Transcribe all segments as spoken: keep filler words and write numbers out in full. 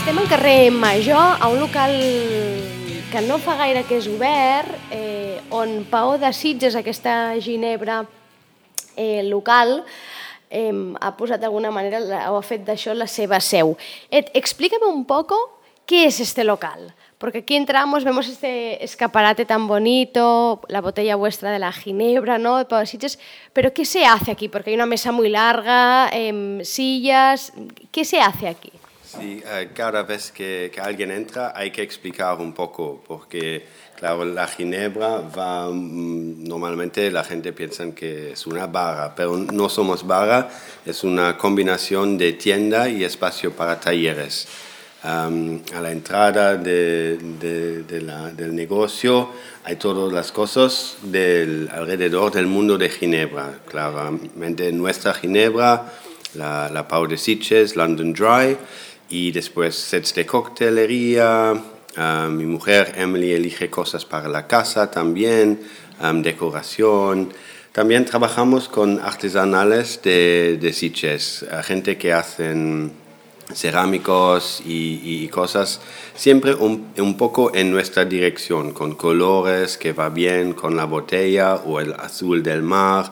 Estem al carrer Major, a un local que no fa gaire que és obert, eh, on Paó de Sitges, aquesta ginebra eh, local, eh, ha posat d'alguna manera, o ha fet d'això la seva seu. Ed, explícame un poco qué es este local, porque aquí entramos, vemos este escaparate tan bonito, la botella vuestra de la ginebra, ¿no?, de Paó de Sitges, pero ¿qué se hace aquí? Porque hay una mesa muy larga, eh, sillas, ¿qué se hace aquí? Sí, uh, cada vez que, que alguien entra hay que explicar un poco, porque claro, la ginebra va, mm, normalmente la gente piensa que es una barra, pero no somos barra, es una combinación de tienda y espacio para talleres. Um, a la entrada de, de, de la, del negocio hay todas las cosas del, alrededor del mundo de Ginebra. Claramente nuestra Ginebra, la, la Paó de Sitges, London Dry, y después sets de coctelería. Uh, mi mujer Emily elige cosas para la casa también, um, decoración. También trabajamos con artesanales de, de Sitges, uh, gente que hacen cerámicos y, y cosas, siempre un, un poco en nuestra dirección, con colores que va bien con la botella o el azul del mar.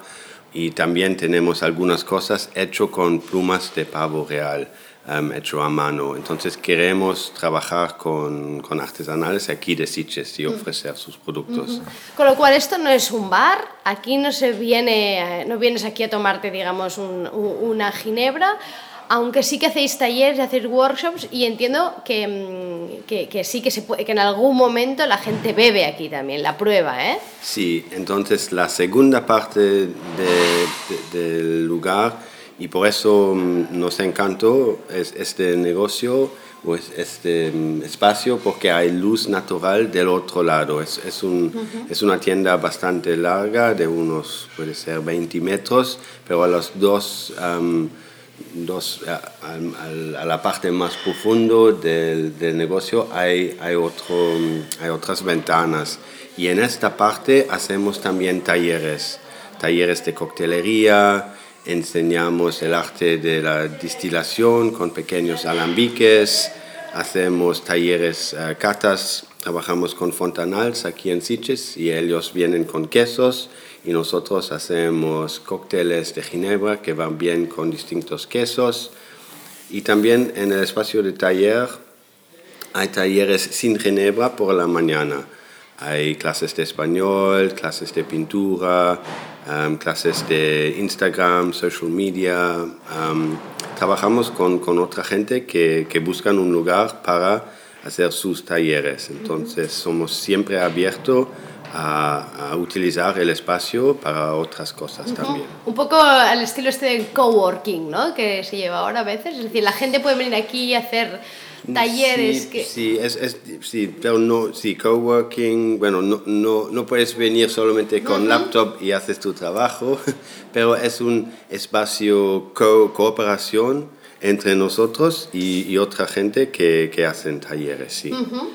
Y también tenemos algunas cosas hechas con plumas de pavo real. Um, hecho a mano. Entonces queremos trabajar con, con artesanales aquí de Sitges y ofrecer sus productos. Uh-huh. Con lo cual esto no es un bar, aquí no se viene, no vienes aquí a tomarte, digamos, un, una ginebra, aunque sí que hacéis talleres, hacéis workshops y entiendo que, que, que sí que, se puede, que en algún momento la gente bebe aquí también, la prueba, ¿eh? Sí, entonces la segunda parte de, de, del lugar, y por eso nos encantó este negocio o este espacio, porque hay luz natural del otro lado. Es, es, un, uh-huh. es una tienda bastante larga, de unos, puede ser veinte metros, pero a los dos, um, dos a, a, a la parte más profunda del, del negocio hay, hay, otro, hay otras ventanas. Y en esta parte hacemos también talleres, talleres de coctelería. Enseñamos el arte de la destilación con pequeños alambiques, hacemos talleres, uh, catas, trabajamos con fontanals aquí en Sitges y ellos vienen con quesos y nosotros hacemos cócteles de ginebra que van bien con distintos quesos. Y también en el espacio de taller hay talleres sin ginebra por la mañana. Hay clases de español, clases de pintura, um, clases de Instagram, social media. Um, trabajamos con, con otra gente que, que buscan un lugar para hacer sus talleres. Entonces uh-huh. somos siempre abiertos a, a utilizar el espacio para otras cosas uh-huh. también. Un poco al estilo este del coworking, ¿no?, que se lleva ahora a veces. Es decir, la gente puede venir aquí y hacer talleres. Sí, que... sí, es, es, sí, pero no, sí, coworking, bueno, no, no, no puedes venir solamente con uh-huh. laptop y haces tu trabajo, pero es un espacio co cooperación entre nosotros y, y otra gente que, que hacen talleres, sí. Uh-huh.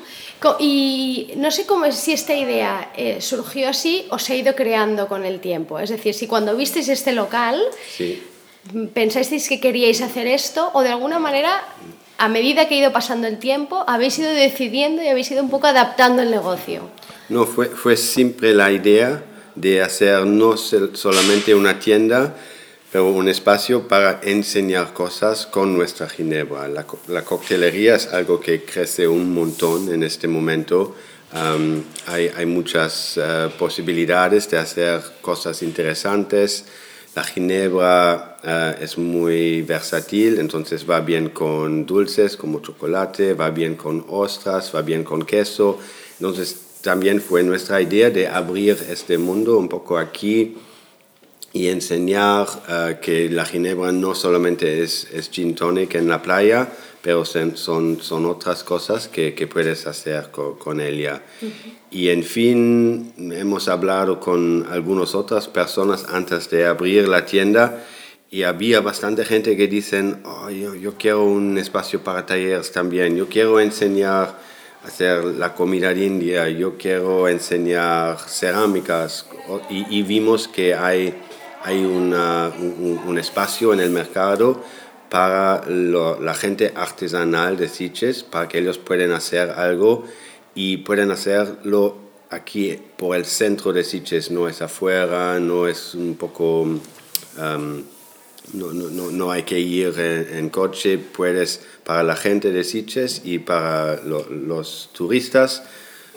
Y no sé cómo es, si esta idea eh, surgió así o se ha ido creando con el tiempo, es decir, si cuando visteis este local sí. pensasteis que queríais hacer esto o de alguna manera, a medida que ha ido pasando el tiempo, habéis ido decidiendo y habéis ido un poco adaptando el negocio. No, fue, fue siempre la idea de hacer no solamente una tienda, pero un espacio para enseñar cosas con nuestra ginebra. La, la coctelería es algo que crece un montón en este momento. Um, hay, hay muchas uh, posibilidades de hacer cosas interesantes. La ginebra uh, es muy versátil, entonces va bien con dulces como chocolate, va bien con ostras, va bien con queso. Entonces también fue nuestra idea de abrir este mundo un poco aquí y enseñar uh, que la ginebra no solamente es, es gin tonic en la playa, pero son, son, son otras cosas que, que puedes hacer con, con ella. Uh-huh. Y en fin, hemos hablado con algunas otras personas antes de abrir la tienda y había bastante gente que dicen, oh, yo, yo quiero un espacio para talleres también, yo quiero enseñar a hacer la comida india, yo quiero enseñar cerámicas. Y, y vimos que hay, hay una, un, un espacio en el mercado para lo, la gente artesanal de Sitges, para que ellos puedan hacer algo y pueden hacerlo aquí por el centro de Sitges, no es afuera, no es un poco... Um, no, no, no hay que ir en, en coche, puedes, para la gente de Sitges y para lo, los turistas,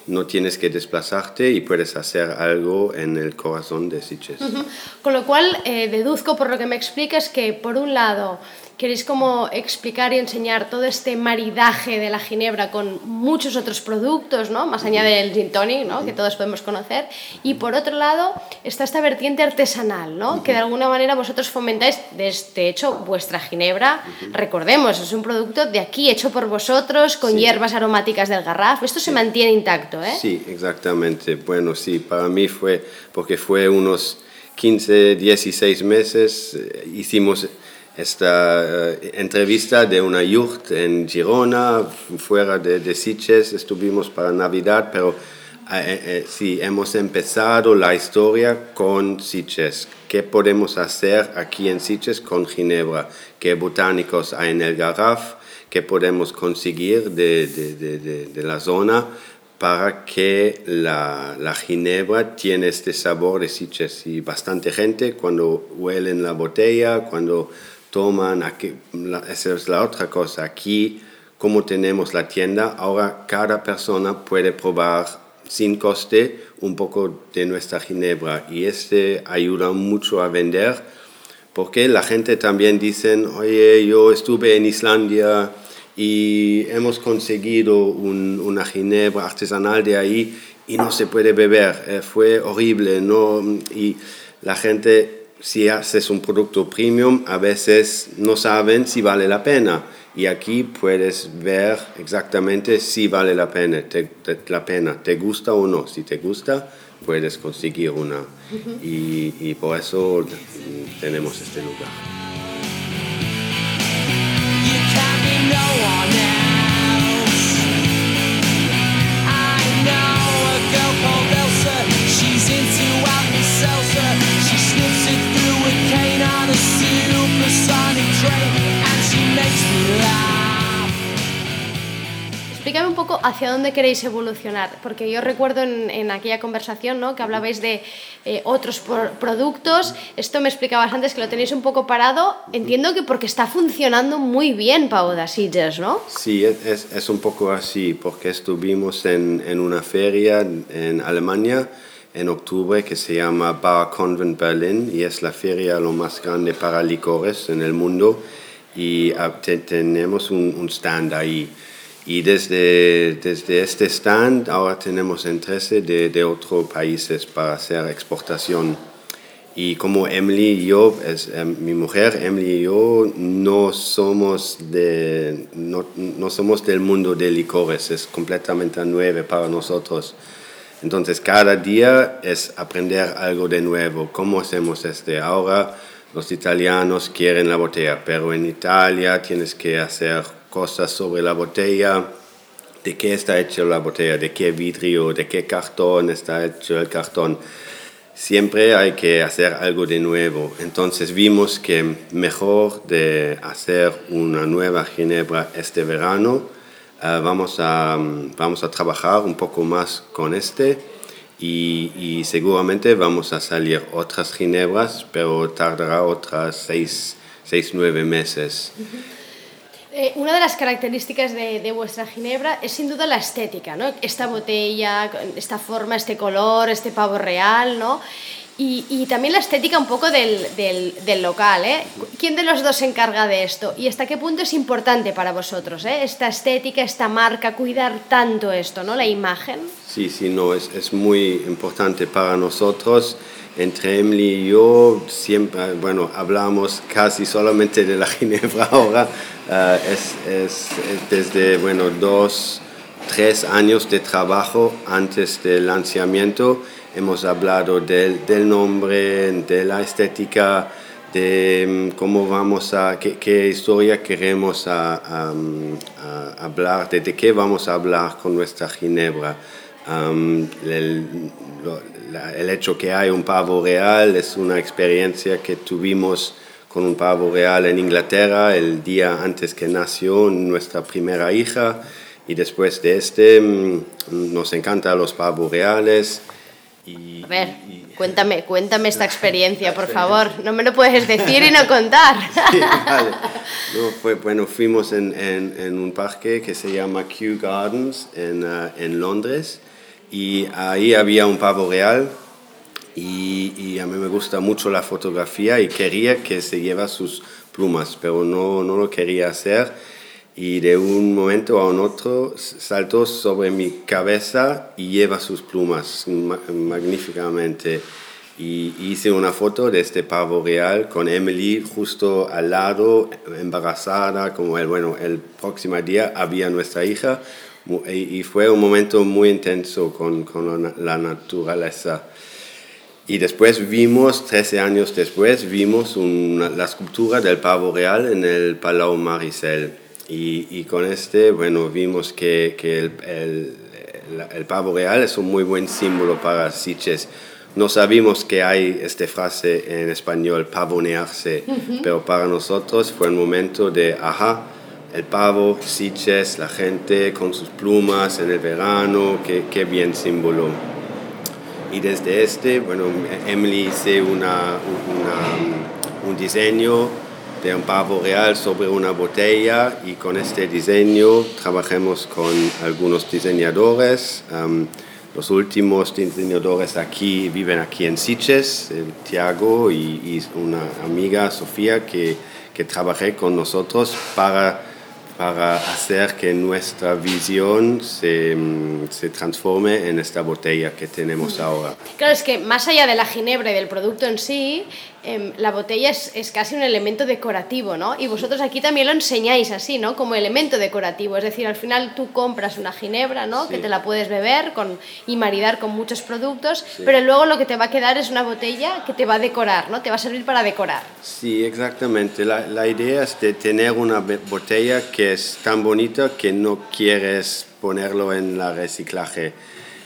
no tienes que desplazarte y puedes hacer algo en el corazón de Sitges. Uh-huh. Con lo cual, eh, deduzco por lo que me explicas que, por un lado, queréis como explicar y enseñar todo este maridaje de la ginebra con muchos otros productos, ¿no? Más allá del gin tonic, ¿no? Que todos podemos conocer. Y por otro lado está esta vertiente artesanal, ¿no? Uh-huh. Que de alguna manera vosotros fomentáis, de hecho, vuestra ginebra, uh-huh. recordemos, es un producto de aquí, hecho por vosotros, con sí. hierbas aromáticas del Garraf. Esto sí. se mantiene intacto, ¿eh? Sí, exactamente. Bueno, sí, para mí fue, porque fue unos quince, dieciséis meses, eh, hicimos... esta uh, entrevista de una yurt en Girona, fuera de, de Sitges, estuvimos para Navidad, pero uh, uh, sí, hemos empezado la historia con Sitges. ¿Qué podemos hacer aquí en Sitges con ginebra? ¿Qué botánicos hay en el Garraf? ¿Qué podemos conseguir de, de, de, de, de la zona para que la, la ginebra tiene este sabor de Sitges? Y bastante gente cuando huelen la botella, cuando toman, aquí, la, esa es la otra cosa, aquí como tenemos la tienda, ahora cada persona puede probar sin coste un poco de nuestra ginebra y este ayuda mucho a vender porque la gente también dice, oye, yo estuve en Islandia y hemos conseguido un, una ginebra artesanal de ahí y no se puede beber, eh, fue horrible, ¿no? Y la gente... Si haces un producto premium, a veces no saben si vale la pena. Y aquí puedes ver exactamente si vale la pena. Te, te, la pena. ¿Te gusta o no? Si te gusta, puedes conseguir una. Uh-huh. y, y por eso tenemos este lugar. Explícame un poco hacia dónde queréis evolucionar, porque yo recuerdo en, en aquella conversación, ¿no?, que hablabais de eh, otros por, productos. Esto me explicabas antes que lo tenéis un poco parado. Entiendo que porque está funcionando muy bien Pau de Sitges, ¿no? Sí, es, es un poco así, porque estuvimos en, en una feria en Alemania en octubre que se llama Bar Convent Berlin y es la feria lo más grande para licores en el mundo y te, tenemos un, un stand ahí. Y desde, desde este stand ahora tenemos interés de, de otros países para hacer exportación. Y como Emily y yo, es, eh, mi mujer, Emily y yo, no somos, de, no, no somos del mundo de licores, es completamente nuevo para nosotros. Entonces cada día es aprender algo de nuevo. ¿Cómo hacemos este? Ahora los italianos quieren la botella, pero en Italia tienes que hacer cosas sobre la botella, de qué está hecha la botella, de qué vidrio, de qué cartón está hecho el cartón. Siempre hay que hacer algo de nuevo. Entonces vimos que mejor de hacer una nueva ginebra este verano, uh, vamos, a, vamos a trabajar un poco más con este y, y seguramente vamos a salir otras ginebras, pero tardará otras seis, seis nueve meses. Uh-huh. Eh, una de las características de, de vuestra ginebra es sin duda la estética, ¿no? Esta botella, esta forma, este color, este pavo real, ¿no? Y, y también la estética un poco del, del, del local, ¿eh? ¿Quién de los dos se encarga de esto? ¿Y hasta qué punto es importante para vosotros, ¿eh? Esta estética, esta marca, cuidar tanto esto, ¿no? La imagen. Sí, sí, no, es, es muy importante para nosotros. Entre Emily y yo siempre, bueno, hablamos casi solamente de la ginebra ahora. Uh, es, es, es desde, bueno, dos, tres años de trabajo antes del lanzamiento. Hemos hablado del, del nombre, de la estética, de cómo vamos a, qué, qué historia queremos a, a, a hablar, de, de qué vamos a hablar con nuestra ginebra. Um, el, lo, la, el hecho que hay un pavo real es una experiencia que tuvimos con un pavo real en Inglaterra el día antes que nació nuestra primera hija, y después de este nos encantan los pavos reales. Y, a ver, y, y, cuéntame, cuéntame esta experiencia, por favor. No me lo puedes decir y no contar. Sí, vale. No, fue, bueno, fuimos en, en, en un parque que se llama Kew Gardens en, uh, en Londres, y ahí había un pavo real. Y, y a mí me gusta mucho la fotografía y quería que se lleva sus plumas, pero no, no lo quería hacer, y de un momento a un otro saltó sobre mi cabeza y lleva sus plumas magníficamente. Y hice una foto de este pavo real con Emily justo al lado, embarazada, como el, bueno, el próximo día había nuestra hija, y fue un momento muy intenso con, con la naturaleza. Y después vimos, trece años después, vimos una, la escultura del pavo real en el Palau Maricel. Y, y con este, bueno, vimos que, que el, el, el pavo real es un muy buen símbolo para Sitges. No sabíamos que hay esta frase en español, pavonearse, uh-huh. pero para nosotros fue un momento de, ajá, el pavo, Sitges, la gente con sus plumas en el verano, qué, qué bien símbolo. Y desde este, bueno, Emily hizo una, una, un diseño de un pavo real sobre una botella, y con este diseño trabajamos con algunos diseñadores. Um, los últimos diseñadores aquí viven aquí en Sitges, el Tiago y, y una amiga, Sofía, que, que trabajé con nosotros para... para hacer que nuestra visión se, se transforme en esta botella que tenemos ahora. Claro, es que más allá de la ginebra y del producto en sí, eh, la botella es, es casi un elemento decorativo, ¿no? Y vosotros aquí también lo enseñáis así, ¿no? Como elemento decorativo, es decir, al final tú compras una ginebra, ¿no? Sí. Que te la puedes beber con, y maridar con muchos productos, sí. Pero luego lo que te va a quedar es una botella que te va a decorar, ¿no? Te va a servir para decorar. Sí, exactamente. La, la idea es de tener una botella que es tan bonita que no quieres ponerlo en la reciclaje.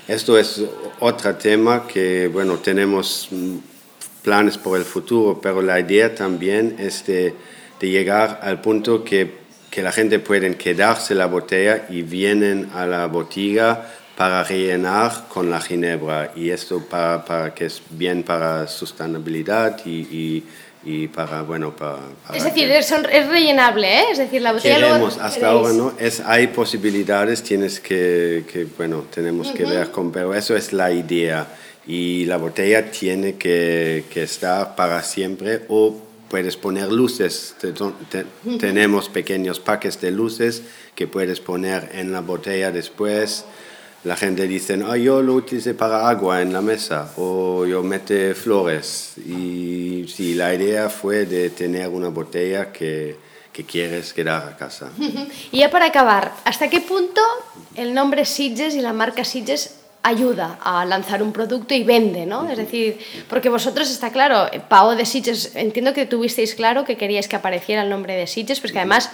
Esto es otro tema que, bueno, tenemos planes por el futuro, pero la idea también es de, de llegar al punto que, que la gente puede quedarse la botella y vienen a la botiga para rellenar con la ginebra, y esto para, para que es bien para sostenibilidad y, y y para, bueno, para... para es decir, que... es, es rellenable, ¿eh? Es decir, la botella Queremos, luego... hasta ¿Queréis? ahora, ¿no? Es, hay posibilidades, tienes que, que bueno, tenemos uh-huh. que ver con... Pero eso es la idea. Y la botella tiene que, que estar para siempre, o puedes poner luces. Te, te, uh-huh. Tenemos pequeños paquetes de luces que puedes poner en la botella después. La gente dice, oh, yo lo utilicé para agua en la mesa, o yo mete flores. Y sí, la idea fue de tener una botella que, que quieres quedar a casa. Y ya para acabar, ¿hasta qué punto el nombre Sitges y la marca Sitges ayuda a lanzar un producto y vende, ¿no? Uh-huh. Es decir, porque vosotros, está claro, Pao de Sitges, entiendo que tuvisteis claro que queríais que apareciera el nombre de Sitges, pues que además...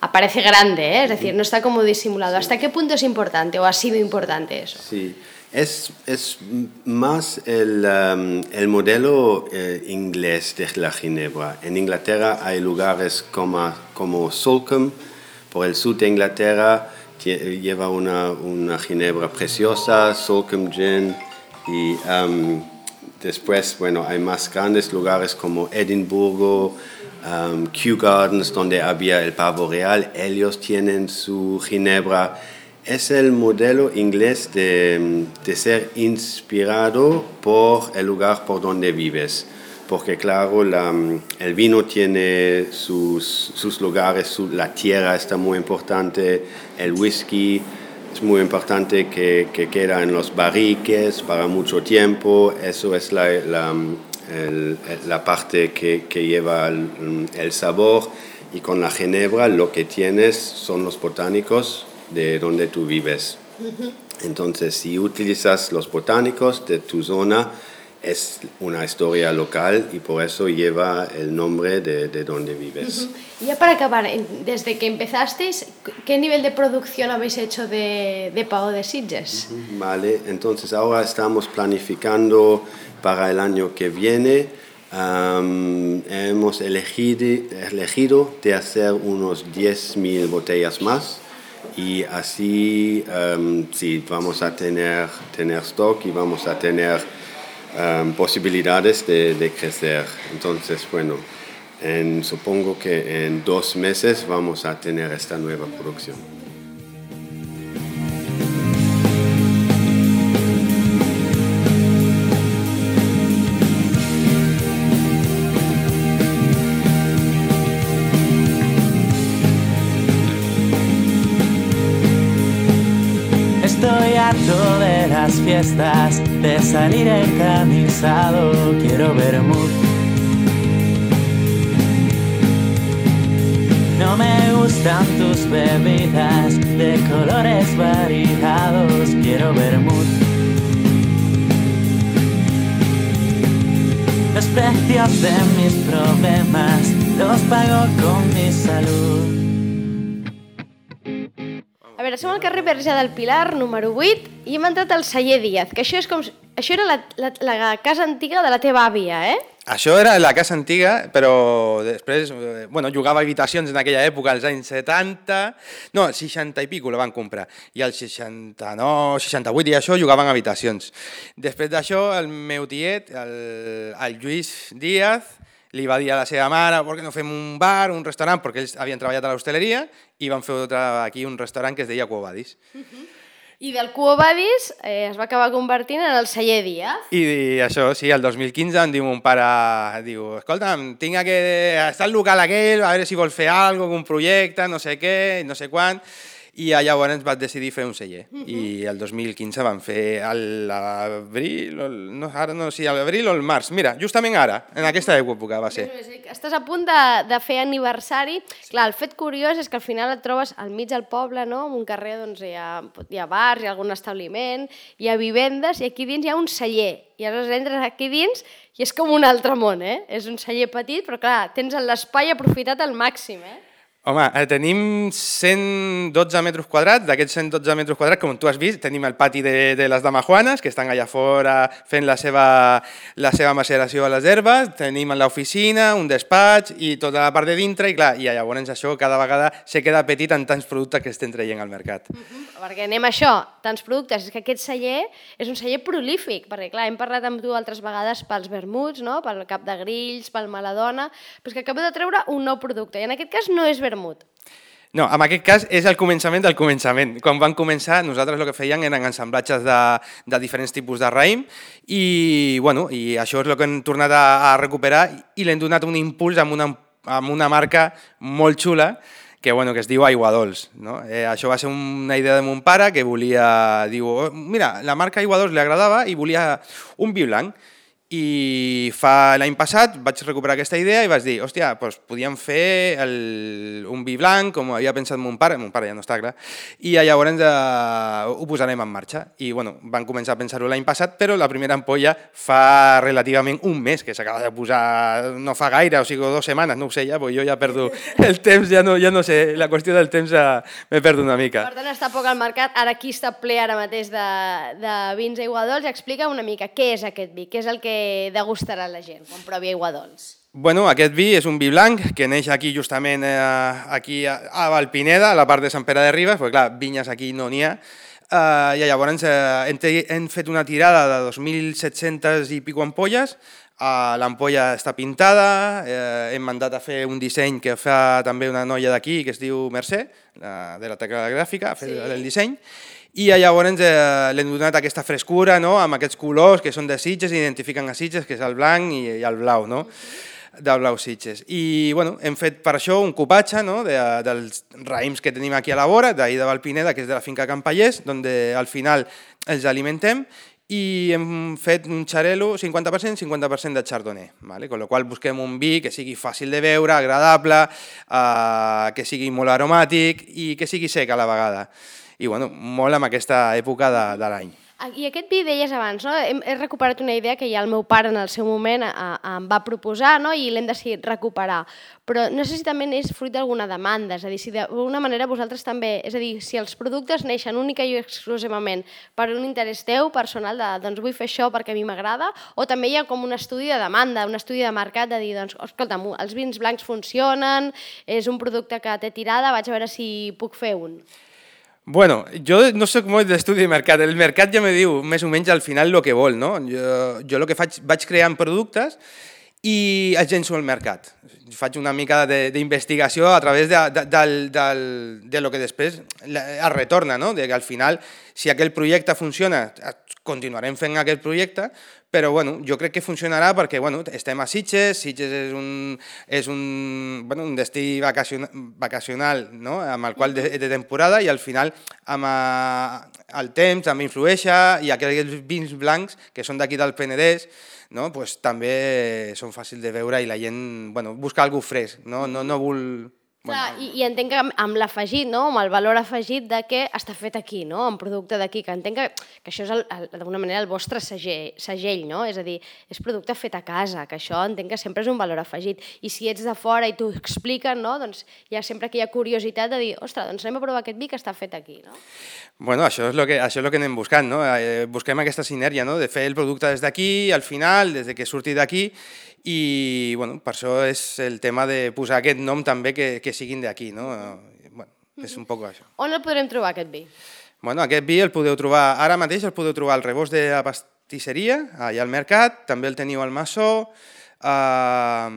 aparece grande, ¿eh? Es decir, no está como disimulado. Sí. ¿Hasta qué punto es importante o ha sido importante eso? Sí, es, es más el, um, el modelo eh, inglés de la ginebra. En Inglaterra hay lugares como, como Salcombe, por el sur de Inglaterra, lleva una, una ginebra preciosa, Salcombe Gin, y um, después, bueno, hay más grandes lugares como Edimburgo, Um, Kew Gardens, donde había el pavo real, ellos tienen su ginebra. Es el modelo inglés de, de ser inspirado por el lugar por donde vives, porque claro, la, el vino tiene sus, sus lugares, su, la tierra está muy importante, el whisky es muy importante que, que queda en los barriques para mucho tiempo, eso es la... la El, la parte que, que lleva el, el sabor, y con la ginebra lo que tienes son los botánicos de donde tú vives. Uh-huh. Entonces, si utilizas los botánicos de tu zona, es una historia local y por eso lleva el nombre de, de donde vives. Uh-huh. Y ya para acabar, desde que empezasteis, ¿qué nivel de producción habéis hecho de, de Pao de Sitges? Uh-huh. Vale, entonces ahora estamos planificando para el año que viene Um, hemos elegido, elegido de hacer unos diez mil botellas más y así um, sí, vamos a tener, tener stock y vamos a tener um, posibilidades de, de crecer. Entonces, bueno, en, supongo que en dos meses vamos a tener esta nueva producción. Estoy harto de las fiestas, de salir encamisado, quiero vermut. No me gustan tus bebidas de colores variados, quiero vermut. Los precios de mis problemas los pago con mi salud. A veure, som al carrer Verge del Pilar, número vuit, i hem entrat al celler Díaz, que això és com... Això era la, la, la casa antiga de la teva àvia, eh? Això era la casa antiga, però després, bueno, jugava a habitacions en aquella època, als anys setanta, no, seixanta i pico la van comprar, i als seixanta-nou, seixanta-vuit i això jugaven a habitacions. Després d'això, el meu tiet, el, el Lluís Díaz, li va dir a la seva mare, per què no fem un bar, un restaurant, perquè ells havien treballat a l'hostaleria, i van fer aquí un restaurant que es deia Quo Vadis. Uh-huh. I del Quo Vadis eh, es va acabar convertint en el celler Díaz. I, I això, sí, el dos mil quinze em diu mon pare, diu, escolta'm, tinc que estar al local aquell, a veure si vol fer alguna cosa, un projecte, no sé què, no sé quan, i llavors vaig decidir fer un celler. Uh-huh. I el dos mil quinze van fer l'abril, no, ara no sé si l'abril o el març, mira, justament ara, en aquesta època va ser. Estàs a punt de, de fer aniversari. Sí. Clar, el fet curiós és que al final et trobes al mig del poble, no? En un carrer doncs, hi, ha, hi ha bars, hi ha algun establiment, hi ha vivendes i aquí dins hi ha un celler. I aleshores entres aquí dins i és com un altre món, eh? És un celler petit, però clar, tens l'espai aprofitat al màxim, eh? Home, tenim cent dotze metres quadrats, d'aquests cent dotze metres quadrats, com tu has vist, tenim el pati de, de les damajuanes, que estan allà fora fent la seva, la seva maceració a les herbes, tenim l'oficina, un despatx i tota la part de dintre, i clar, i llavors això cada vegada se queda petit en tants productes que estem traient al mercat. Uh-huh. Perquè anem a això, tants productes, és que aquest celler és un celler prolífic, perquè clar, hem parlat amb tu altres vegades pels vermuts, no? Pel cap de grills, pel maladona, però és que acabo de treure un nou producte, i en aquest cas no és vermut. No, en aquest cas és el començament del començament. Quan van començar, nosaltres el que fèiem eren ensamblatges de, de diferents tipus de raïm i, bueno, i això és el que hem tornat a, a recuperar i l'hem donat un impuls amb una, amb una marca molt xula que, bueno, que es diu Aiguadols. No? Eh, això va ser una idea de mon pare que volia... Diu, oh, mira, la marca Aiguadols li agradava i volia un vi blanc. I fa l'any passat vaig recuperar aquesta idea i vaig dir, hòstia, doncs podíem fer el, un vi blanc, com havia pensat mon pare, mon pare ja no està clar, i llavors eh, ho posarem en marxa. I bueno, van començar a pensar-ho l'any passat, però la primera ampolla fa relativament un mes, que s'acaba de posar, no fa gaire, o sigui, dues setmanes, no ho sé ja, perquè jo ja perdo el temps, ja no, ja no sé, la qüestió del temps ja me perdo una mica. Per tant, està poc al mercat, ara aquí està ple ara mateix de, de vins Aiguadols. Explica una mica què és aquest vi, què és el que degustarà la gent quan provi Aiguadols. Bueno, aquest vi és un vi blanc que neix aquí justament eh, aquí a Valpineda, a la part de Sant Pere de Ribes, perquè clar, vinyes aquí no n'hi ha, eh, i llavors eh, hem, hem fet una tirada de dos mil set-centes i pico ampolles, eh, l'ampolla està pintada, eh, hem mandat a fer un disseny que fa també una noia d'aquí que es diu Mercè, la, de la tecla gràfica, ha fet sí. el disseny, i llavors eh, l'hem donat aquesta frescura, no?, amb aquests colors que són de Sitges, identifiquen a Sitges, que és el blanc i, i el blau, no?, del blau Sitges. I bueno, hem fet per això un cupatge, no?, de, dels raïms que tenim aquí a la vora, d'ahir de Valpineda, que és de la finca Campallers, on al final els alimentem, i hem fet un xarel·lo cinquanta per cent, cinquanta per cent de chardonnay, ¿vale? Con lo qual busquem un vi que sigui fàcil de beure, agradable, eh, que sigui molt aromàtic i que sigui sec a la vegada. I bueno, molt amb aquesta època de, de l'any. I aquest vi deies abans, no? He, he recuperat una idea que ja el meu pare en el seu moment a, a, em va proposar, no? I l'hem decidit recuperar. Però no sé si també és fruit d'alguna demanda, és a dir, si d'alguna manera vosaltres també, és a dir, si els productes neixen única i exclusivament per un interès teu personal de, doncs vull fer això perquè a mi m'agrada, o també hi ha com un estudi de demanda, un estudi de mercat de dir, doncs, escolta'm, els vins blancs funcionen, és un producte que té tirada, vaig a veure si puc fer un. Bueno, jo no soc molt d'estudi de mercat, el mercat ja me diu més o menys al final el que vol, no? Jo, jo el que faig, vaig creant productes i els llenço al mercat. Faig una mica d'investigació a través de, de, de, de, de lo que després es retorna, no? De que al final, si aquell projecte funciona, continuarem fent aquest projecte, però bueno, jo crec que funcionarà perquè bueno, estem a Sitges, Sitges és un, és un, bueno, un destí vacacional, vacacional no? Amb el qual de, de temporada i al final amb a, el temps també influeixa i aquells vins blancs que són d'aquí del Penedès no? Pues, també són fàcils de veure i la gent bueno, busca alguna cosa fresc, no, no, no vol... Clar, i, i entenc que amb l'afegit, no? Amb el valor afegit de que està fet aquí, no? Un producte d'aquí, que entenc que, que això és d'alguna manera el vostre segell, segell, no? És a dir, és producte fet a casa, que això entenc que sempre és un valor afegit. I si ets de fora i t'ho expliquen, no? Doncs hi ha sempre aquella curiositat de dir, ostres, doncs anem a provar aquest vi que està fet aquí, no? Bueno, això és el que, això és el que anem buscant, no? Eh, busquem aquesta sinergia, no? De fer el producte des d'aquí, al final, des que surti d'aquí, i bueno, per això és el tema de posar aquest nom també que, que siguin d'aquí, no? Bueno, és un poc això. On el podrem trobar, aquest vi? Bueno, aquest vi el podeu trobar, ara mateix el podeu trobar al rebost de la pastisseria, allà al mercat, també el teniu al Massó, uh,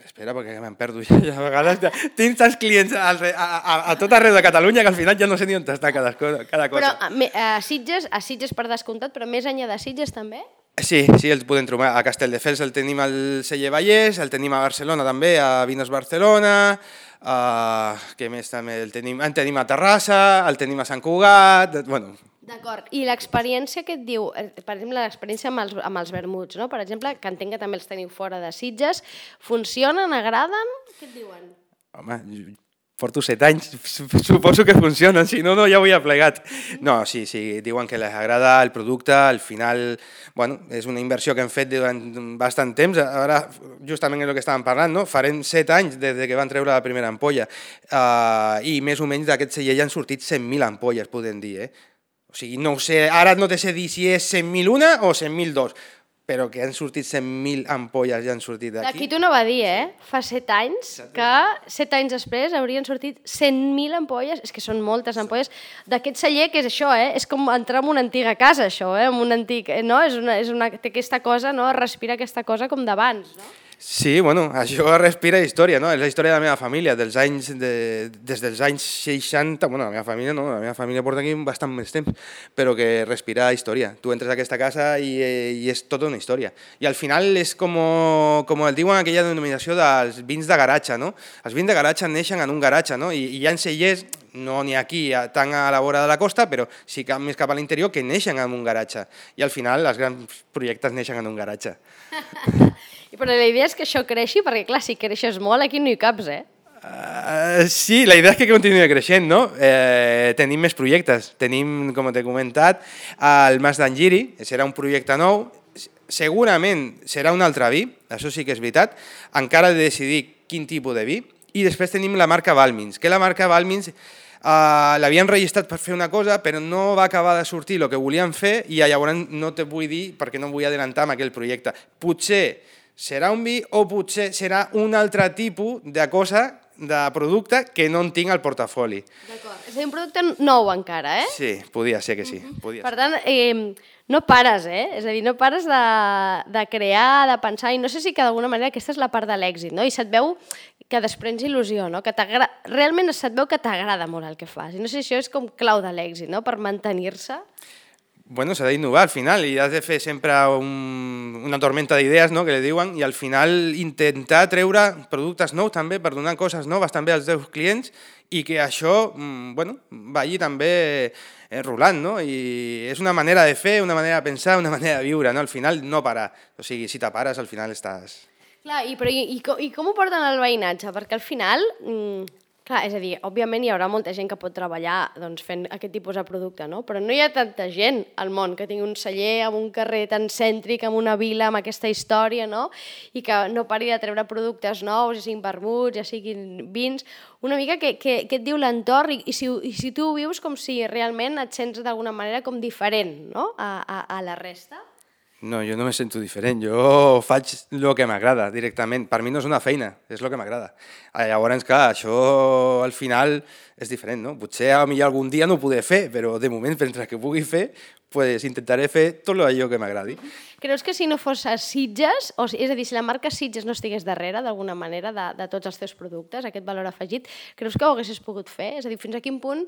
espera, perquè me'n perdo ja, ja a vegades ja, tinc tants clients a, a, a tot arreu de Catalunya que al final ja no sé ni on està cada, cada cosa. Però a, a Sitges, a Sitges per descomptat, però més enllà de Sitges també? Sí, sí, el podem trobar. A Castelldefels el tenim al celler Vallès, el tenim a Barcelona també, a Vinos Barcelona, uh, què més també? El tenim, el tenim a Terrassa, el tenim a Sant Cugat, bueno... D'acord, i l'experiència que et diu, per exemple, l'experiència amb els, amb els vermuts, no? Per exemple, que entenc que també els teniu fora de Sitges, funcionen, agraden? Què et diuen? Home, porto set anys, suposo que funcionen, si no, no ja ho havia plegat. No, sí, sí, diuen que les agrada el producte, al final, bueno, és una inversió que hem fet durant bastant temps, ara justament és el que estàvem parlant, no? Farem set anys des que van treure la primera ampolla, uh, i més o menys d'aquest celler ja han sortit cent mil ampolles, podem dir, eh? O sigui, no ho sé, ara no te sé dir si és cent mil una o cent mil dos, però que han sortit cent mil ampolles ja han sortit d'aquí. D'aquí t'ho no va dir, eh? Fa set anys que, set anys després, haurien sortit cent mil ampolles, és que són moltes ampolles, d'aquest celler, que és això, eh? És com entrar en una antiga casa, això, eh? En un antic, no? És una, és una, té aquesta cosa, no? Respira aquesta cosa com d'abans, no? Sí, bueno, això respira història, no? És la història de la meva família, dels anys de, des dels anys seixanta, bueno, la meva família no, la meva família porta aquí bastant més temps, però que respira història. Tu entres a aquesta casa i, i és tota una història. I al final és com, com el diuen aquella denominació dels vins de garatge, no? Els vins de garatge neixen en un garatge, no? I, i hi ha cellers, no n'hi ha aquí tant a la vora de la costa, però sí que més cap a l'interior, que neixen en un garatge. I al final els grans projectes neixen en un garatge. Però la idea és que això creixi, perquè clar, si creixes molt aquí no hi caps, eh? Uh, sí, la idea és que continuï creixent, no? Eh, tenim més projectes. Tenim, com t'he comentat, el Mas d'Angiri, serà un projecte nou, segurament serà un altre vi, això sí que és veritat, encara he de decidir quin tipus de vi, i després tenim la marca Balmins, que la marca Balmins Uh, l'havien registrat per fer una cosa, però no va acabar de sortir el que volien fer i llavors no te vull dir perquè no vull adelantar amb aquell projecte. Potser serà un vi o potser serà un altre tipus de cosa, de producte que no en tinc al portafoli. D'acord, és a dir, un producte nou encara, eh? Sí, podia ser que sí. Podia per ser. tant, eh, no pares, eh? És a dir, no pares de, de crear, de pensar, i no sé si que d'alguna manera aquesta és la part de l'èxit, no? I se't veu que desprens il·lusió, no? Que realment se't veu que t'agrada molt el que fas. I no sé si això és com clau de l'èxit, no? Per mantenir-se. Bueno, s'ha d'innovar al final i has de fer sempre un, una tormenta d'idees, no?, que li diuen, i al final intentar treure productes nous també per donar coses noves també als teus clients i que això, bueno, vagi també eh, rolant, no? I és una manera de fer, una manera de pensar, una manera de viure, no? Al final no parar. O sigui, si te pares, al final estàs... Clar, i, però, i, i, com, i com ho porten al veïnatge? Perquè al final... Mmm, Clar, és a dir, òbviament hi haurà molta gent que pot treballar doncs, fent aquest tipus de producte, no? Però no hi ha tanta gent al món que tingui un celler amb un carrer tan cèntric, amb una vila, amb aquesta història, no? I que no pari de treure productes nous, ja siguin vermuts, ja siguin vins. Una mica què et diu l'entorn i, i, si, i si tu ho vius com si realment et sents d'alguna manera com diferent, no? a, a, a la resta. No, jo no me sento diferent, jo faig el que m'agrada directament, per mi no és una feina, és el que m'agrada. Llavors, clar, això al final és diferent, no? Potser a mi algun dia no ho podré fer, però de moment, mentre que pugui fer, pues intentaré fer tot allò que m'agradi. Creus que si no fos a Sitges, o, és a dir, si la marca Sitges no estigués darrere d'alguna manera de, de tots els teus productes, aquest valor afegit, creus que ho haguessis pogut fer? És a dir, fins a quin punt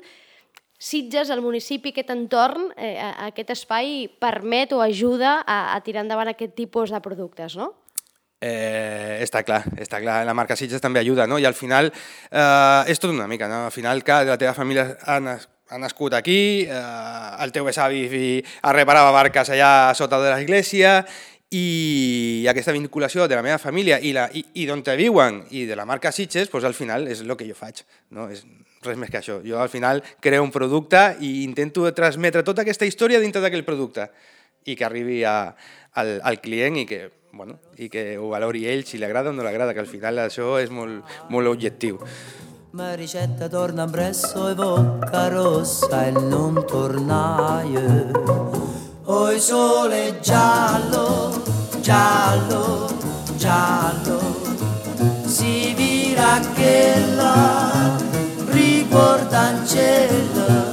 Sitges, el municipi, aquest entorn, eh, aquest espai permet o ajuda a, a tirar endavant aquest tipus de productes, no? Eh, està clar, està clar. La marca Sitges també ajuda, no? I al final eh, és tot una mica, no? Al final, que la teva família ha, ha nascut aquí, eh, el teu besavi reparava barques allà sota de l'església, i aquesta vinculació de la meva família i, la, i, i d'on te viuen i de la marca Sitges, pues, al final és el que jo faig, no? És res més que això. Jo al final creo un producte i intento transmetre tota aquesta història dintre d'aquell producte i que arribi a, al, al client i que, bueno, i que ho valori ell si li agrada o no li agrada, que al final això és molt, molt objectiu. Maricetta torna presso e bocca rossa e non tornaie. Oi sole giallo, giallo, giallo, si vira che la ricordancella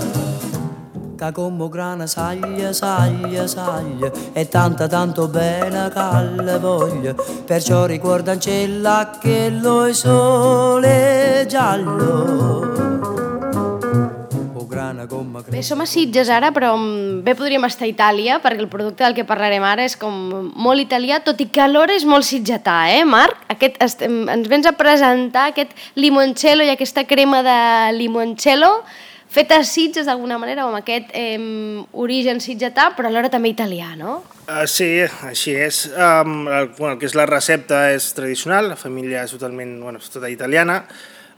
che come grana saglia, saglia, saglia e tanta tanto bella calle voglia, perciò ricordancella che lo sole giallo. Bé, som a Sitges ara, però bé podríem estar a Itàlia, perquè el producte del que parlarem ara és com molt italià, tot i que alhora és molt sitgetà, eh, Marc? Aquest, estem, ens vens a presentar aquest limoncello i aquesta crema de limoncello feta a Sitges d'alguna manera, amb aquest eh, origen sitgetà, però alhora també italià, no? Uh, sí, així és. Um, el, bueno, el que és la recepta és tradicional, la família és totalment, bueno, és tota italiana,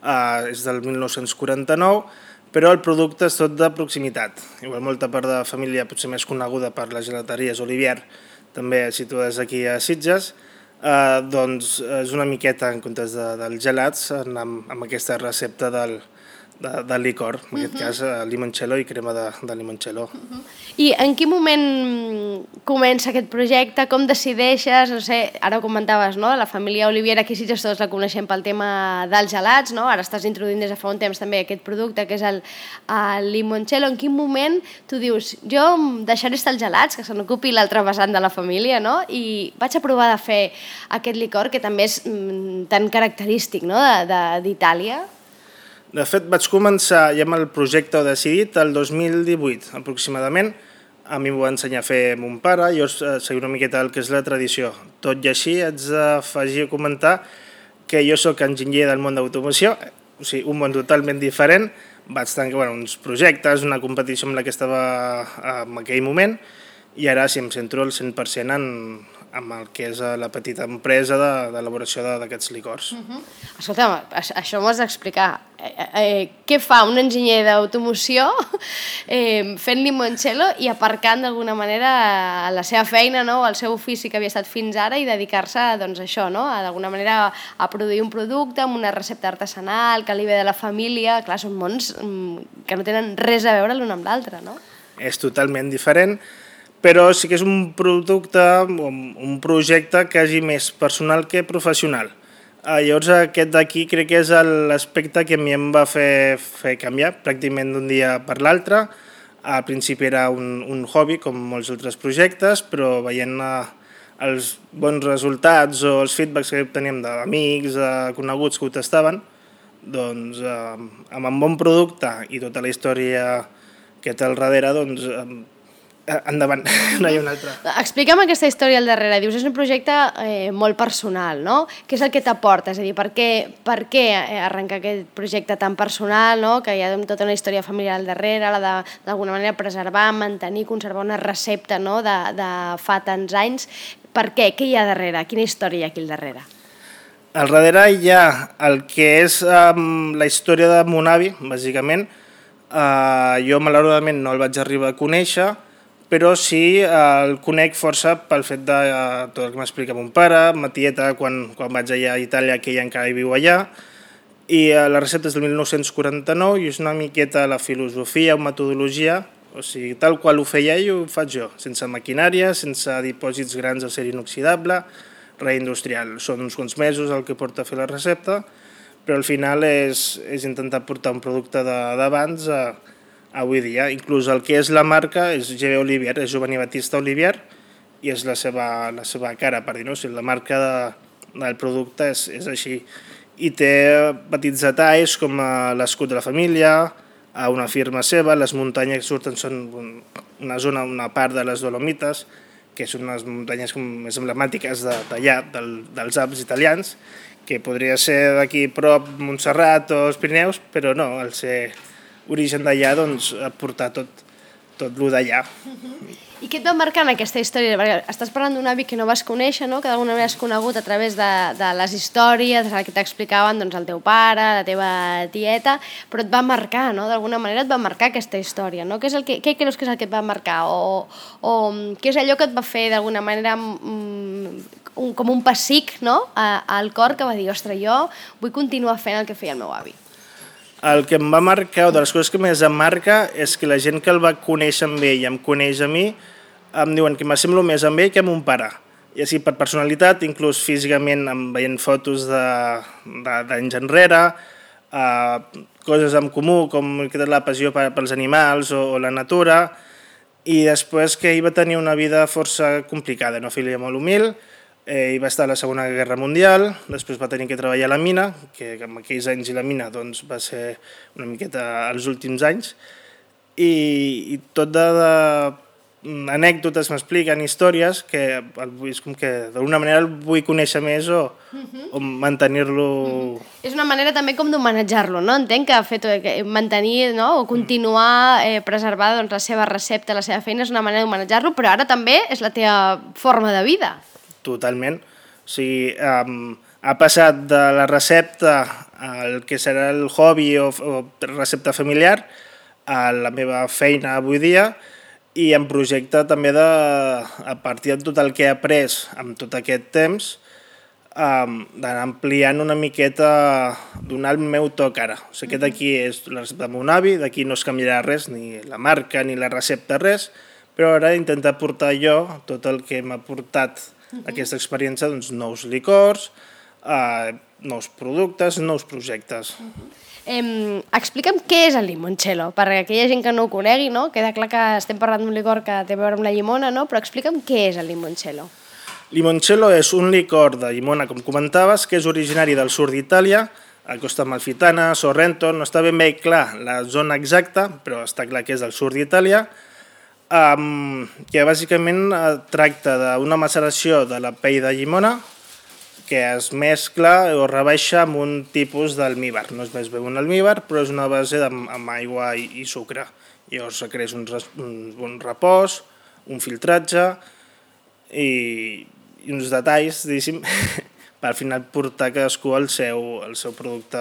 uh, és del mil nou-cents quaranta-nou, però el producte és tot de proximitat. Igual molta part de la família potser més coneguda per les gelateries Olivier, també situades aquí a Sitges, eh, doncs és una miqueta en comptes de, dels gelats amb, amb aquesta recepta del, de, del licor, en aquest uh -huh. cas limoncello i crema de, de limoncello. Uh -huh. I en quin moment comença aquest projecte? Com decideixes? No sé, ara ho comentaves, no? La família Olivier aquí Sitges tots la coneixem pel tema dels gelats, no? Ara estàs introduint des de fa un temps també aquest producte que és el, el limoncello. En quin moment tu dius, jo deixaré estar els gelats, que se n'ocupi l'altre vessant de la família, no? I vaig a provar de fer aquest licor que també és mm, tan característic, no? d'Itàlia. De fet, vaig començar ja amb el projecte decidit el dos mil divuit, aproximadament. A mi m'ho va ensenyar a fer mon pare, jo seguia una miqueta el que és la tradició. Tot i així, haig d'afegir a comentar que jo sóc enginyer del món d'automoció, o sigui, un món totalment diferent. Vaig tenir bueno, uns projectes, una competició amb la que estava en aquell moment, i ara sí em centro al cent per cent en, en el que és la petita empresa d'elaboració d'aquests licors. Uh-huh. Escolta, això m'ho has d'explicar. Eh, eh, què fa un enginyer d'automoció eh, fent limoncello i aparcant d'alguna manera la seva feina, no? El seu ofici que havia estat fins ara i dedicar-se doncs, a això, no? D'alguna manera a produir un producte amb una recepta artesanal que li ve de la família. Clar, són mons que no tenen res a veure l'un amb l'altre, no? És totalment diferent, però sí que és un producte, un projecte quasi més personal que professional. Llavors aquest d'aquí crec que és l'aspecte que a mi em va fer, fer canviar pràcticament d'un dia per l'altre. Al principi era un, un hobby com molts altres projectes, però veient uh, els bons resultats o els feedbacks que obteníem d'amics, de coneguts que ho tastaven, doncs uh, amb un bon producte i tota la història que té al darrere, doncs uh, endavant, no hi ha una altra. Explica'm aquesta història al darrere. Dius, és un projecte eh, molt personal, no? Què és el que t'aporta? És a dir, per què, per què arrencar aquest projecte tan personal, no? Que hi ha tota una història familiar al darrere, la de, d'alguna manera, preservar, mantenir, conservar una recepta, no? de, de fa tants anys. Per què? Què hi ha darrere? Quina història hi ha aquí al darrere? Al darrere hi ha el que és um, la història de mon avi, bàsicament. Uh, jo malauradament no el vaig arribar a conèixer, però sí uh, el conec força pel fet de uh, tot el que m'explica mon pare, ma tieta, quan, quan vaig allà a Itàlia, que ella encara hi viu allà, i uh, la recepta és del mil nou-cents quaranta-nou i és una miqueta la filosofia o metodologia, o sigui, tal qual ho feia ell, ho faig jo, sense maquinària, sense dipòsits grans d'acer inoxidable, reindustrial. Són uns quants mesos el que porta a fer la recepta, però al final és, és intentar portar un producte d'abans a, a avui dia. Inclús el que és la marca és G B Olivier, és Giovanni Battista Olivier, i és la seva, la seva cara, per dir-ho. O sigui, la marca de, del producte és, és així. I té petits detalls com l'escut de la família, a una firma seva, les muntanyes que surten són una zona, una part de les Dolomites, que són unes muntanyes més emblemàtiques d'allà, del, dels Alps italians, que podria ser d'aquí prop Montserrat o els Pirineus, però no, al ser origen d'allà, doncs, ha portat tot, tot lo d'allà. I què et va marcar en aquesta història? Perquè estàs parlant d'un avi que no vas conèixer, no? Que d'alguna manera has conegut a través de, de les històries, que t'explicaven doncs, el teu pare, la teva tieta, però et va marcar, no? D'alguna manera et va marcar aquesta història, no? Què, és el que, què creus que és el que et va marcar? O, o què és allò que et va fer d'alguna manera mm, un, com un pessic, no? A, al cor que va dir, ostres, jo vull continuar fent el que feia el meu avi. El que em va marcar, o de les coses que més em marca, és que la gent que el va conèixer amb ell i em coneix a mi, em diuen que m'assemblo més amb ell que amb un pare. I així per personalitat, inclús físicament, em veient fotos d'anys enrere, eh, coses en comú, com la passió pels animals o, o la natura, i després que ell va tenir una vida força complicada, una família molt humil, eh, ell va estar a la Segona Guerra Mundial, després va tenir que treballar a la mina, que en aquells anys i la mina doncs, va ser una miqueta els últims anys, i, i tot de, de anècdotes m'expliquen, històries, que és com que d'alguna manera el vull conèixer més o, uh-huh. o mantenir-lo... Uh-huh. És una manera també com d'homenatjar-lo, no? Entenc que, fet, que mantenir, no? O continuar eh, preservar doncs, la seva recepta, la seva feina, és una manera d'homenatjar-lo, però ara també és la teva forma de vida. Totalment. O sigui, um, ha passat de la recepta al que serà el hobby o, o recepta familiar a la meva feina avui dia i em projecta també de, a partir de tot el que he après amb tot aquest temps, um, d'anar ampliant una miqueta, donar el meu toc ara. O sigui, aquest aquí és la recepta de mon avi, d'aquí no es canviarà res, ni la marca ni la recepta, res, però ara intentar portar jo tot el que m'ha portat aquesta experiència, doncs, nous licors, eh, nous productes, nous projectes. Uh-huh. eh, explica'm què és el limoncello, perquè aquella gent que no ho conegui, no? Queda clar que estem parlant d'un licor que té a veure amb la llimona, no? Però explica'm què és el limoncello. Limoncello és un licor de llimona, com comentaves, que és originari del sud d'Itàlia, a Costa Amalfitana, Sorrento, no està ben bé clar la zona exacta, però està clar que és del sud d'Itàlia, Um, que bàsicament uh, tracta d'una maceració de la pell de llimona que es mescla o rebaixa amb un tipus d'almívar. No és més bé un almívar, però és una base de, amb aigua i, i sucre. Llavors requereix un, un, un repòs, un filtratge i, i uns detalls, diguéssim, per al final portar cadascú el seu, el seu producte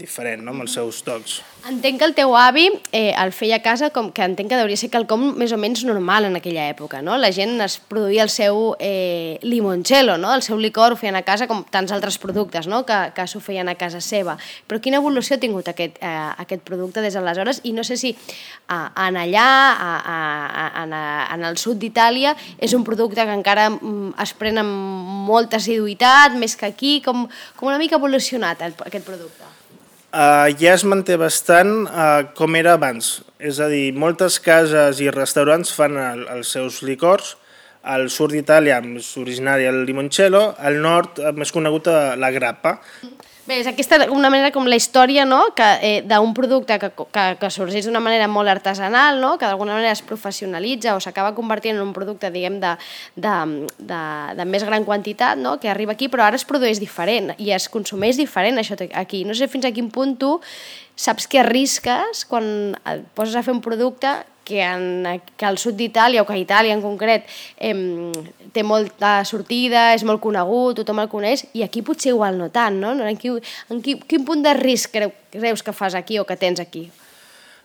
diferent, no? Amb els seus tocs. Entenc que el teu avi eh, el feia a casa, com que entenc que hauria ser quelcom més o menys normal en aquella època, no? La gent es produïa el seu eh, limoncello, no? El seu licor ho feien a casa com tants altres productes, no? Que, que s'ho feien a casa seva. Però quina evolució ha tingut aquest, eh, aquest producte des d'aleshores? I no sé si eh, en allà, a, a, a, en, a, en el sud d'Itàlia, és un producte que encara mm, es pren amb molta assiduïtat, més que aquí, com, com una mica evolucionat el, aquest producte? Uh, ja es manté bastant uh, com era abans. És a dir, moltes cases i restaurants fan el, els seus licors. Al sud d'Itàlia és originari el limoncello, al nord més conegut la grappa. Bé, és aquesta una manera com la història, no? Que, eh, d'un producte que, que, que sorgeix d'una manera molt artesanal, no? Que d'alguna manera es professionalitza o s'acaba convertint en un producte, diguem, de, de, de, de més gran quantitat, no? Que arriba aquí, però ara es produeix diferent i es consumeix diferent això aquí. No sé fins a quin punt tu saps que arrisques quan et poses a fer un producte que, en, que al sud d'Itàlia, o que a Itàlia en concret, eh, té molta sortida, és molt conegut, tothom el coneix, i aquí potser igual no tant, no? En, quin, en quin, quin punt de risc creu, creus que fas aquí o que tens aquí?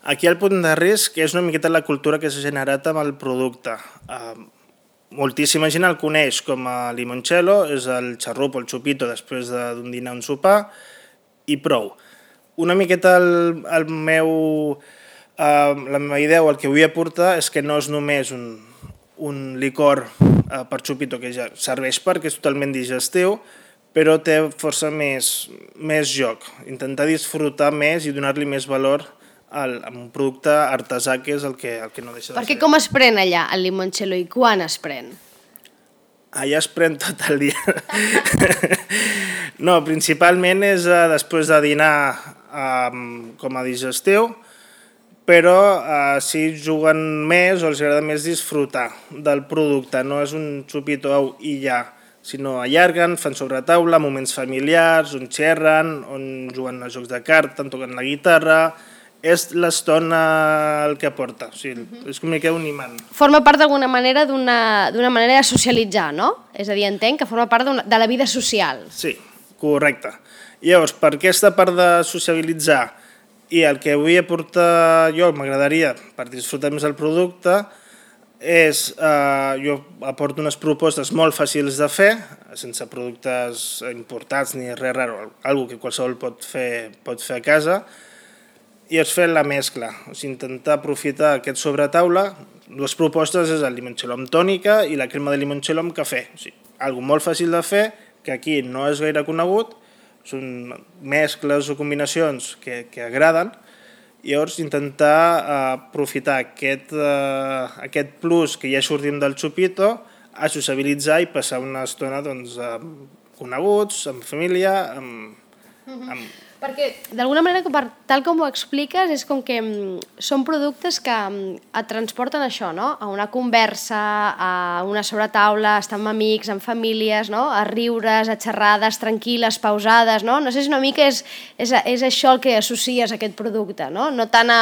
Aquí el punt de risc és una miqueta la cultura que s'ha generat amb el producte. Uh, moltíssima gent el coneix com a limoncello, és el xarrup o el xupito després d'un dinar o un sopar, i prou. Una miqueta el, el meu... Uh, la meva idea o el que vull aportar és que no és només un, un licor uh, per xupito que ja serveix perquè és totalment digestiu, però té força més, més joc. Intentar disfrutar més i donar-li més valor al, a un producte artesà que és el que, el que no deixa de ser. Perquè com es pren allà el limoncello i quan es pren? Allà es pren tot el dia. No, principalment és uh, després de dinar um, com a digestiu, però eh, si juguen més o els agrada més disfrutar del producte. No és un xupito i ja, sinó allarguen, fan sobre taula, moments familiars, on xerren, on juguen a jocs de cartes, on toquen la guitarra. És l'estona el que aporta, o sigui, és com que un imant. Forma part d'alguna manera d'una manera de socialitzar, no? És a dir, entenc que forma part de la vida social. Sí, correcte. Llavors, per aquesta part de socialitzar i el que vull aportar jo, m'agradaria, per disfrutar més el producte, és, eh, jo aporto unes propostes molt fàcils de fer, sense productes importats ni res raro, algo que qualsevol pot fer, pot fer a casa, i és fer la mescla, o sigui, intentar aprofitar aquest sobretaula. Dues propostes és el limoncello amb tònica i la crema de limoncello amb cafè. O sigui, algo molt fàcil de fer, que aquí no és gaire conegut, són mescles o combinacions que, que agraden, i llavors intentar uh, aprofitar aquest, uh, aquest plus que ja sortim del xupito a sociabilitzar i passar una estona doncs, amb coneguts, amb família, amb... amb... Perquè, d'alguna manera, tal com ho expliques, és com que són productes que et transporten això, no? A una conversa, a una sobretaula, estar amb amics, amb famílies, no? A riures, a xerrades tranquil·les, pausades, no? No sé si una mica és, és, és això el que associes a aquest producte, no? No tant a,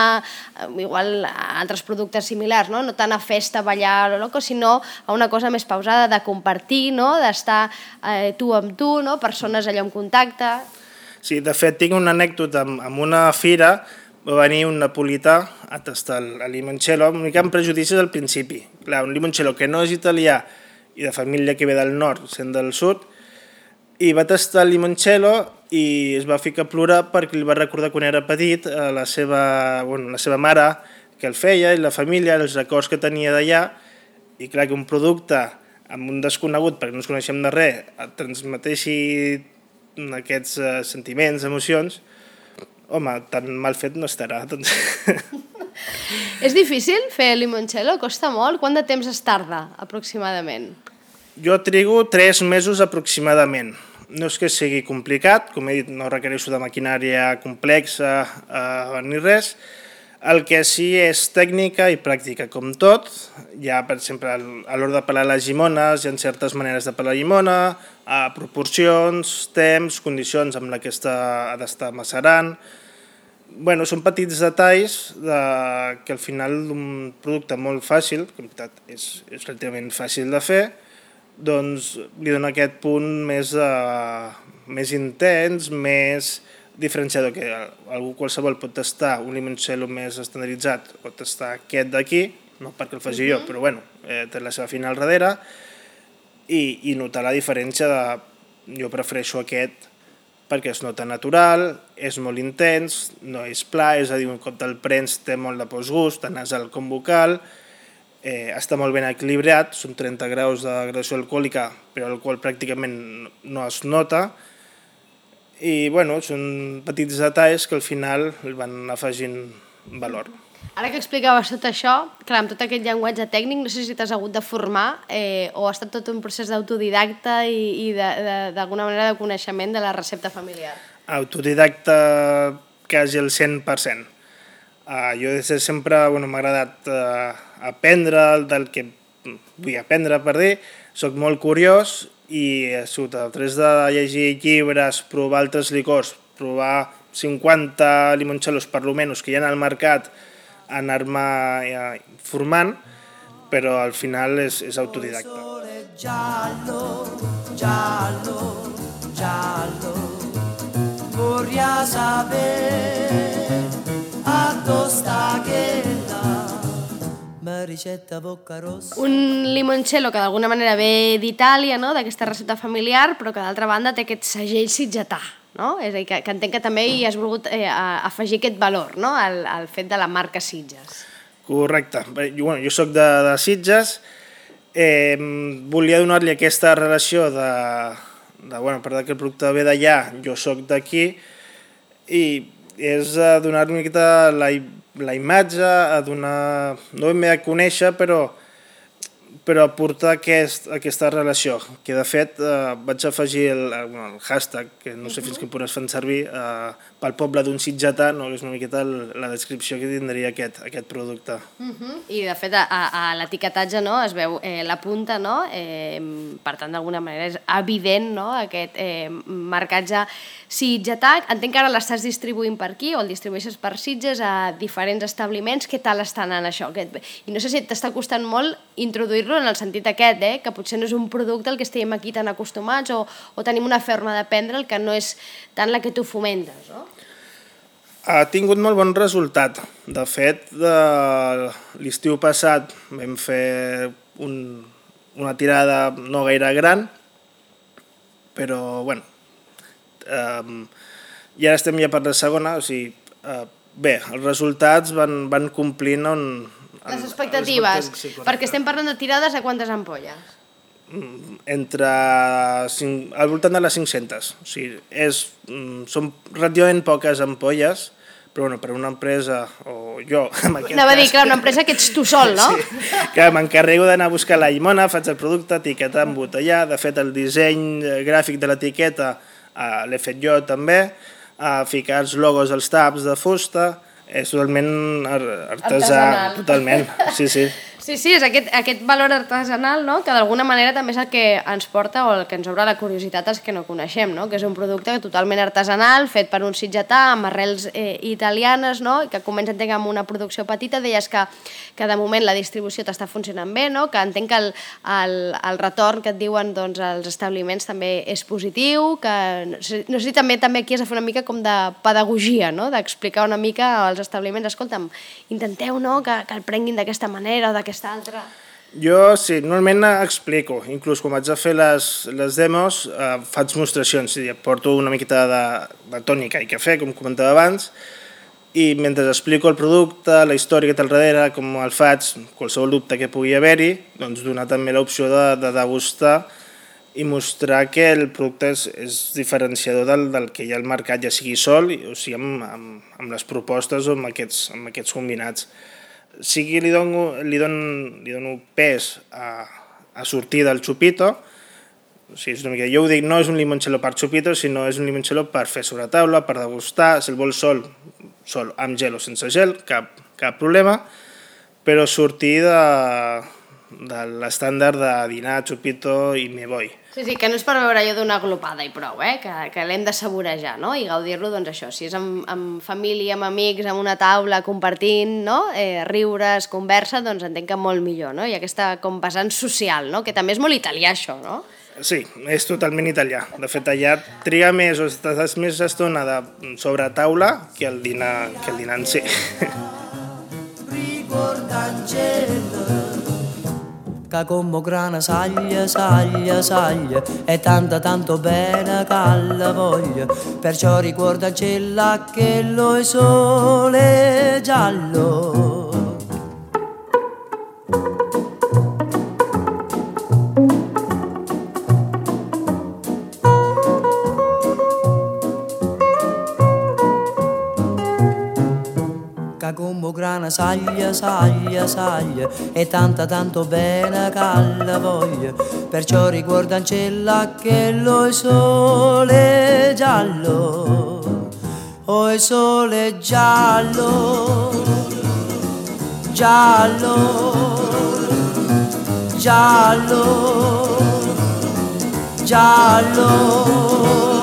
igual, a altres productes similars, no? No tant a festa, ballar, loco, sinó a una cosa més pausada, de compartir, no? D'estar eh, tu amb tu, no? Persones allò en contacte... Sí, de fet, tinc una anècdota amb, amb una fira, va venir un napolità a tastar el, el limoncello, una mica amb prejudicis al principi. Clar, un limoncello que no és italià i de família que ve del nord, sent del sud, i va tastar el limoncello i es va ficar a plorar perquè li va recordar quan era petit a la seva, bueno, la seva mare que el feia, i la família, els records que tenia d'allà, i clar, que un producte amb un desconegut, perquè no ens coneixem de res, et transmeteixi aquests uh, sentiments, emocions, home, tan mal fet no estarà. Doncs... És difícil fer limoncello? Costa molt? Quant de temps es tarda, aproximadament? Jo trigo tres mesos aproximadament. No és que sigui complicat, com he dit, no requereixo de maquinària complexa uh, ni res. El que sí és tècnica i pràctica, com tot. Hi ha, per exemple, a l'hora de pelar les llimones, hi ha certes maneres de pelar la llimona, a proporcions, temps, condicions amb la que està, ha d'estar macerant. Bueno, són petits detalls de, que al final d'un producte molt fàcil, que en veritat és, és relativament fàcil de fer, doncs li dona aquest punt més, uh, més intens, més diferenciador, que algú qualsevol pot tastar un limoncello més estandarditzat o tastar aquest d'aquí, no perquè el faci jo, però bueno, eh, té la seva fina al darrere, i, i notar la diferència de... Jo prefereixo aquest perquè es nota natural, és molt intens, no és pla, és a dir, un cop te'l prens té molt de postgust, tant nasal com vocal, eh, està molt ben equilibrat, són trenta graus de gradació alcohòlica, però l'alcohol pràcticament no es nota, i bueno, són petits detalls que al final el van afegint valor. Ara que explicaves tot això, clar, amb tot aquest llenguatge tècnic, no sé si t'has hagut de formar eh, o ha estat tot un procés d'autodidacta i, i d'alguna manera de coneixement de la recepta familiar. Autodidacta quasi el cent per cent. Uh, jo des de sempre bueno, m'ha agradat uh, aprendre del que vull aprendre, per dir, soc molt curiós i a través de llegir llibres, provar altres licors, provar cinquanta limoncellos per lo menys que hi ha al mercat, anar-me eh, formant, però al final és, és autodidacta. Giallo, giallo, giallo, vorrei sapere a tosta che la ricetta bocca rossa. Un limoncello que d'alguna manera ve d'Itàlia, no? D'aquesta recepta familiar, però que d'altra banda té aquest segell sitgetà, no? És a dir, que, que entenc que també hi has volgut eh, afegir aquest valor, no? al, al fet de la marca Sitges. Correcte. Jo, bueno, jo soc de, de Sitges, eh, volia donar-li aquesta relació de, de bueno, per que el producte ve d'allà, jo soc d'aquí, i és a donar una miqueta la, la imatge, a donar, no ben bé a conèixer, però, però aportar aquest, aquesta relació, que de fet eh, vaig afegir el, el hashtag, que no sé fins que podràs fer servir, eh, pel poble d'un sitgetà, no? És una miqueta la descripció que tindria aquest, aquest producte. Uh -huh. I de fet a, a l'etiquetatge, no, es veu eh, la punta, no? eh, per tant d'alguna manera és evident, no? Aquest eh, marcatge sitgetà. Entenc que ara l'estàs distribuint per aquí o el distribueixes per Sitges a diferents establiments. Què tal està anant això? I no sé si t'està costant molt introduir-lo en el sentit aquest, eh? Que potser no és un producte al que estiguem aquí tan acostumats o, o tenim una forma de prendre'l que no és tant la que tu fomentes, no? Ha tingut molt bon resultat. De fet, de l'estiu passat vam fer un, una tirada no gaire gran, però, bueno, eh, i ara estem ja per la segona, o sigui, eh, bé, els resultats van, van complint on... Les expectatives, sí, perquè estem parlant de tirades a quantes ampolles? Entre cinc, al voltant de les cinc-centes. O sigui, és, són relativament poques ampolles, però bueno, per una empresa, o jo... Anava a dir, clar, una empresa que ets tu sol, no? Sí, que m'encarrego d'anar a buscar la llimona, faig el producte, etiquetar, embotellar, de fet el disseny gràfic de l'etiqueta eh, l'he fet jo també, eh, ficar els logos als taps de fusta, és totalment artesà, artesanal. Totalment, sí, sí. Sí, sí, és aquest, aquest valor artesanal, no? Que d'alguna manera també és el que ens porta o el que ens obre la curiositat als que no coneixem, no? Que és un producte totalment artesanal, fet per un sitgetà, amb arrels eh, italianes, no? Que comença, entenc, amb una producció petita. Deies que, que de moment la distribució t'està funcionant bé, no? Que entenc que el, el, el retorn que et diuen doncs, els establiments també és positiu, que no sé, no sé si també, també aquí has de fer una mica com de pedagogia, no? D'explicar una mica als establiments, escolta'm, intenteu, no? que, que el prenguin d'aquesta manera o d'aquesta altra. Jo, sí, normalment explico, inclús quan vaig a fer les, les demos eh, faig mostracions, sí, porto una miqueta de, de tònica i cafè, com comentava abans, i mentre explico el producte, la història que té al darrere, com el faig, qualsevol dubte que pugui haver-hi, doncs donar també l'opció de, de degustar i mostrar que el producte és, és diferenciador del, del que hi ha al mercat, ja sigui sol, o sigui amb, amb, amb les propostes o amb aquests, amb aquests combinats. Sí que li dono, li dono, li dono pes a, a sortir del xupito, o sigui, és una mica, jo ho dic, no és un limoncello per xupito, sinó és un limoncello per fer sobre taula, per degustar, si el vols sol, sol amb gel o sense gel, cap, cap problema, però sortir de, de l'estàndard de dinar, xupito i me voy. Sí, sí, que no és per veure allò d'una glopada i prou, eh? que, que l'hem de saborejar, no? I gaudir-lo, doncs això, si és amb, amb família, amb amics, amb una taula, compartint, no? eh, riures, conversa, doncs entenc que molt millor, no? I aquesta com vessant social, no? Que també és molt italià això, no? Sí, és totalment italià. De fet, allà triga més o estàs més estona de sobre taula que el dinar, que el dinar en si. Che come grana saglia, saglia, saglia, e tanta tanto bene che alla voglia, perciò ricorda cella che lo sole giallo. Come grana saglia, saglia, saglia, e tanta tanto bene che alla voglia, perciò ricorda ancella che lo è sole giallo, oh è sole giallo, giallo, giallo, giallo.